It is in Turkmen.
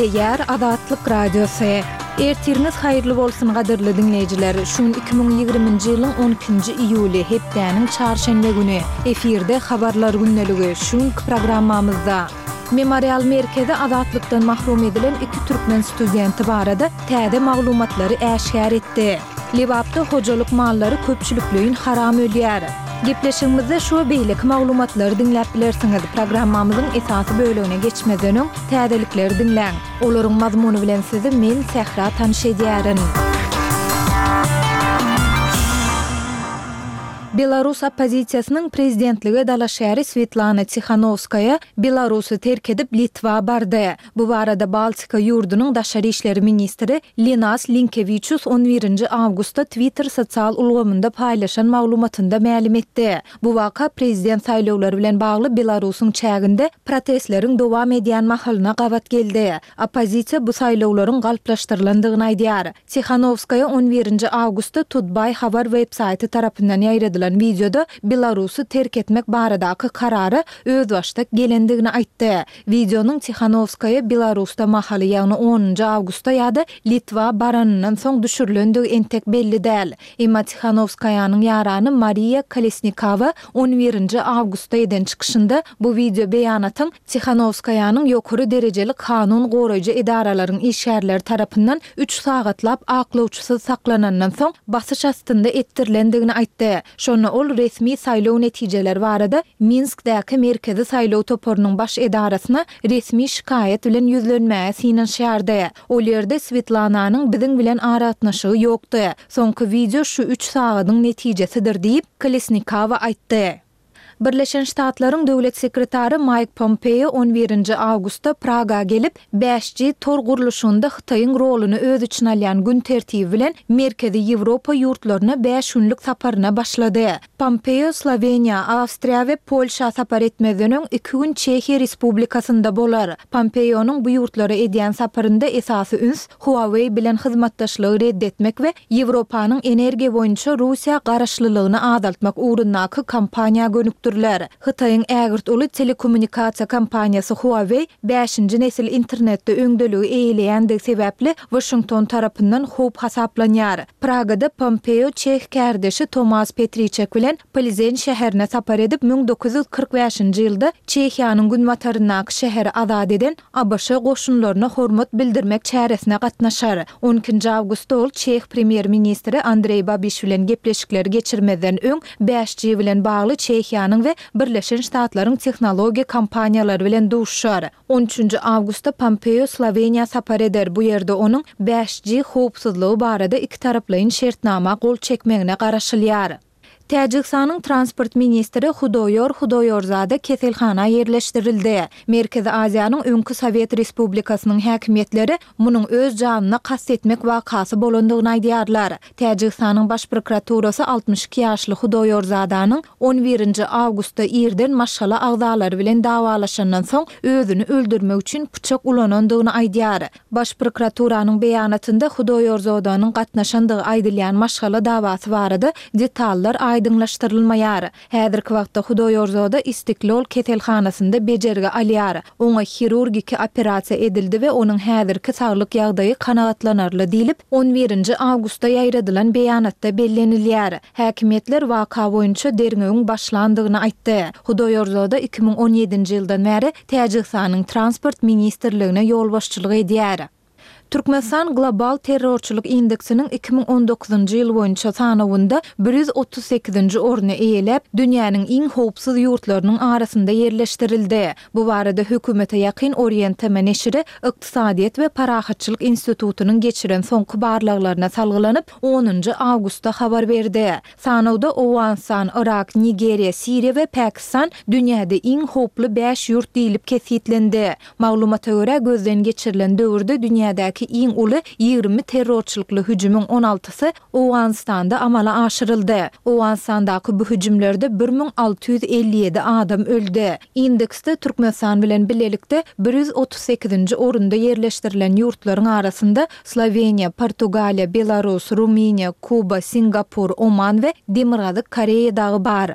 Gepleýär Azatlyk Radiosy. Ertiriňiz haýyrly bolsun gadyrly diňleýjiler! Şu gün 2020-nji ýylyň on ikinji iýuly, hepdäniň çarşenbe güni. Efirde Habarlar gündeligi. Şu günki programmamyzda. Memorial merkezi azatlykdan mahrum edilen iki türkmen studenti barada täze maglumatlary äşgär etdi. Lebapda hojalyk mallary köpçülikleýin haram ölýär. Gepleşigimizde şu we beýleki maglumatlary diňläp bilersiňiz. Programmamyzyň esasy bölegine geçmezden öň, täzelikleri diňläň. Olaryň mazmuny bilen sizi men, Sähra tanyş edýärin. Belarus oppozisiýasynyň prezidentlige dalaşgäri Swetlana Tihanowskaýa Belarusy terk edip Litwa bardy. Bu barada Baltika ýurdunyň daşary işleri ministri Linas Linkewiçus on birinji awgustda Twitter sosial ulgamynda paýlaşan maglumatynda mälim etdi. Bu waka prezident saýlawlary bilen bagly Belarusyň çäginde protestleriň dowam edýän mahalyna gabat geldi. Oppozisiýa bu saýlawlaryň galplaşdyrylandygyny aýdýar. Tihanowskaýa on birinji awgustda Tutbay habar web-saýty tarapyndan ýaýradylan wideoda Belarusy terk etmek baradaky karara özbaşdak gelendigini aýtdy. Wideonyň Tihanowskaýa Belarusda mahaly, ýagny onunjy awgustda ýa-da Litwa baranyndan soň düşürilendigi entek belli däl. Emma Tihanowskaýanyň ýarany Mariýa Kolesnikawa on birinji awgustda eden çykyşynda bu wideo beýanatyň Tihanowskaýanyň ýokary derejeli kanun goraýjy edaralaryň işgärleri tarapyndan üç sagatlap aklawçysyz saklanandan soň basyş astynda etdirilendigini aýtdy. Şonda ol resmi saýlaw netijeleri barada Minskdäki Merkezi saýlaw toparynyň baş edarasyna resmi şikaýat bilen ýüzlenmäge synanyşýardy. Ol ýerde Swetlananyň biziň bilen aragatnaşygy ýokdy. Soňky wideo şu üç sagadyň netijesidir diýip, Kolesnikawa aýtdy. Birleşen Ştatlaryň Döwlet sekretary Maýk Pompeo on birinji awgustda Praga gelip, bäş G tor gurluşygynda Hytaýyň roluny öz içine alýan gün tertibi bilen Merkezi Ýewropa ýurtlaryna bäş günlük saparyna başlady. Pompeo Sloweniýa, Awstriýa we Polşa sapar etmezden öň iki gün Çehiýa Respublikasynda bolar. Pompeonyň bu ýurtlara edýän saparynda esasy üns Huawei bilen hyzmatdaşlygy red etmek we Ýewropanyň energiýa boýunça Russiýa garaşlylygyny azaltmak ugrundaky kampaniýa gönükdiriler. Hytaýyň ägirt uly telekommunikasiýa kompaniýasy Huawei bäşinji nesil internetde öňdeligi eýeleýändigi sebäpli Waşington tarapyndan howp hasaplanýar. Pragada Pompeo çeh kärdeşi Tomas Petriçek bilen Plzen şäherine sapar edip, 1945-nji ýylda Çehiýanyň günbataryndaky şäheri azat eden ABŞ goşunlaryna hormat bildirmek çäresine gatnaşar. On ikinji awgustda ol çeh premýer-ministri Andreý Babiş bilen gepleşikleri geçirmezden öň bäş G bilen bagly Çehiýanyň we Birleşen Ştatlaryň tehnologiýa kompaniýalary bilen duşuşar. On üçünji awgustda Pompeo Sloweniýa sapar eder, bu ýerde onuň bäş G howpsuzlygy barada ikitaraplaýyn şertnama gol çekmegine garaşylýar. Täjigistanyň transport ministri Hudoýor Hudoýorzada keselhana ýerleşdirildi. Merkezi Aziýanyň öňki sowet respublikasynyň häkimiýetleri munuň öz janyna kast etmek wakasy bolandygyny aýdýarlar. Täjigistanyň Baş prokuraturasy 62 ýaşly Hudoýorzadanyň on birinji awgustda irden maşgala agzalary bilen dawalaşandan soň özüni öldürmek üçin pyçak ulanandygyny aýdýar. Baş prokuraturanyň beýanatynda Hudoýorzodanyň gatnaşandygy aýdylýan maşgala dawasy barada detallar aýdyňlaşdyrylmaýar. Häzirki wagtda Hudoýorzoda Istiklol keselhanasynda bejergi alýar. Oňa hirurgiki operasiýa edildi we onuň häzirki saglyk ýagdaýy kanagatlanarly diýlip, on birinji awgustda ýaýradylan beýanatda bellenilýär. Häkimiýetler waka boýunça derňewiň başlandygyny aýtdy. Hudoýorzoda 2017-nji ýyldan bäri Täjigistanyň Transport ministrligine ýolbaşçylyk edýär. Türkmenistan Global terrorçylyk indeksiniň 2019-njy ýyl boýunça sanawynda 138-nji orny eýeläp, dünýäniň iň howpsuz ýurtlarynyň arasynda ýerleşdirildi. Bu barada hökümete ýakyn Orient TM neşiri Ykdysadyýet we parahatçylyk institutynyň geçiren soňky barlaglaryna salgylanyp, onunjy awgustda habar berdi. Sanawda Owganystan, Yrak, Nigeriýa, Siriýa we Pakistan dünýäde iň howply bäş ýurt diýlip kesgitlendi. Maglumata görä, gözden geçirilen döwürde dünýädäki iň uly 20 terrorçylykly hüjümiň on altysy Owganystanda amala aşyryldy. Owganystandaky bu hüjümlerde 1657 adam öldi. Indeksde Türkmenistan bilen bilelikde 138-nji orunda ýerleşdirilen ýurtlaryň arasynda Sloweniýa, Portugaliýa, Belarus, Rumyniýa, Kuba, Singapur, Oman we Demirgazyk Koreýa dagy bar.